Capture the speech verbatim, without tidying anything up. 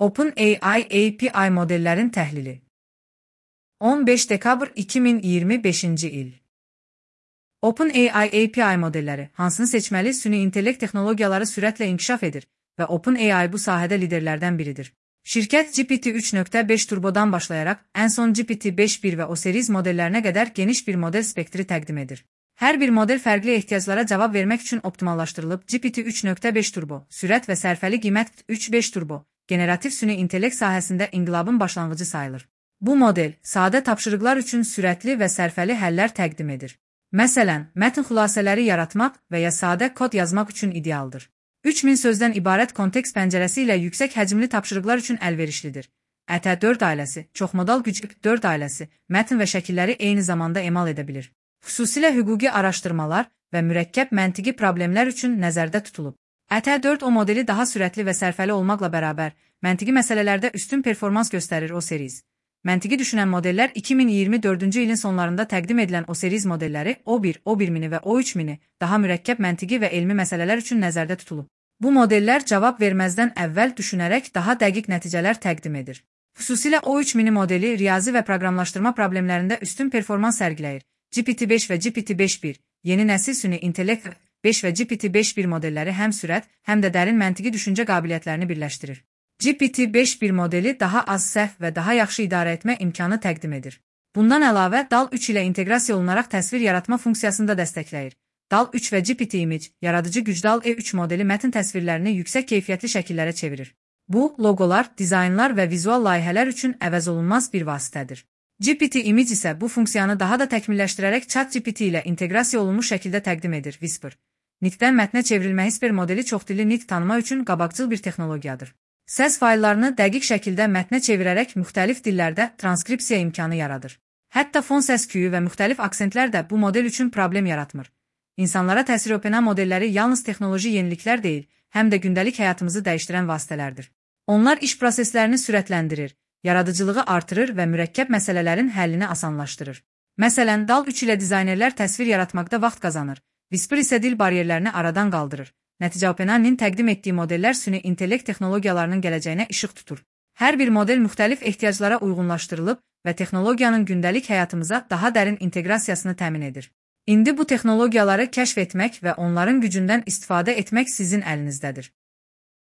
OpenAI A P I modellərin təhlili. on beş dekabr iki min iyirmi beşinci il. OpenAI A P I modelləri hansını seçməli? Süni intellekt texnologiyaları sürətlə inkişaf edir və OpenAI bu sahədə liderlərdən biridir. Şirkət G P T üç nöqtə beş turbodan başlayaraq ən son G P T beş nöqtə bir və O series modellərinə qədər geniş bir model spektri təqdim edir. Hər bir model fərqli ehtiyaclara cavab vermək üçün optimallaşdırılıb. G P T üç nöqtə beş turbo, sürət və sərfəli qiymət üç nöqtə beş turbo, generativ süni intellekt sahəsində inqilabın başlanğıcı sayılır. Bu model sadə tapşırıqlar üçün sürətli və sərfəli həllər təqdim edir. Məsələn, mətn xülasələri yaratmaq və ya sadə kod yazmaq üçün idealdır. üç min sözdən ibarət kontekst pəncərəsi ilə yüksək həcmli tapşırıqlar üçün əlverişlidir. E T dörd ailəsi, çoxmodal güc dörd ailəsi, mətn və şəkilləri eyni zamanda emal edə bilir. Xüsusilə hüquqi araşdırmalar və mürəkkəb məntiqi problemlər üçün nəzərdə tutulub. E T dörd O modeli daha sürətli və sərfəli olmaqla bərabər, məntiqi məsələlərdə üstün performans göstərir. O series Məntiqi düşünən modellər iki min iyirmi dördüncü ilin sonlarında təqdim edilən O series modelləri O bir, O bir mini və O üç mini daha mürəkkəb məntiqi və elmi məsələlər üçün nəzərdə tutulub. Bu modellər cavab verməzdən əvvəl düşünərək daha dəqiq nəticələr təqdim edir. Xüsusilə O üç mini modeli riyazi və proqramlaşdırma problemlərində üstün performans sərgiləyir. G P T beş və G P T beş nöqtə bir, yeni nəsil süni intellekt beş və G P T beş nöqtə bir modelləri həm sürət, həm də dərin məntiqi düşüncə qabiliyyətlərini birləşdirir. G P T beş nöqtə bir modeli daha az səhv və daha yaxşı idarə etmə imkanı təqdim edir. Bundan əlavə, D A L üç ilə inteqrasiya olunaraq təsvir yaratma funksiyasını da dəstəkləyir. D A L üç və G P T Image, yaradıcı güc D A L E üç modeli mətn təsvirlərini yüksək keyfiyyətli şəkillərə çevirir. Bu, loqolar, dizaynlar və vizual layihələr üçün əvəzolunmaz bir vasitədir. G P T Image isə bu funksiyanı daha da təkmilləşdirərək ChatGPT ilə inteqrasiya olunmuş şəkildə təqdim edir. Whisper Nitqdən mətnə çevrilmə Whisper modeli çoxdilli nitq tanıma üçün qabaqcıl bir texnologiyadır. Səs fayllarını dəqiq şəkildə mətnə çevirərək müxtəlif dillərdə transkripsiya imkanı yaradır. Hətta fon səs-küyü və müxtəlif aksentlər də bu model üçün problem yaratmır. İnsanlara təsir edən modelləri yalnız texnoloji yeniliklər deyil, həm də gündəlik həyatımızı dəyişdirən vasitələrdir. Onlar iş proseslərini sürətləndirir, yaradıcılığı artırır və mürəkkəb məsələlərin həllini asanlaşdırır. Məsələn, D A L üç ilə dizaynerlər təsvir yaratmaqda vaxt qazanır, Whisper isə dil bariyerlərini aradan qaldırır. Nəticə OpenAI-nin təqdim etdiyi modellər süni intellekt texnologiyalarının gələcəyinə işıq tutur. Hər bir model müxtəlif ehtiyaclara uyğunlaşdırılıb və texnologiyanın gündəlik həyatımıza daha dərin inteqrasiyasını təmin edir. İndi bu texnologiyaları kəşf etmək və onların gücündən istifadə etmək sizin əlinizdədir.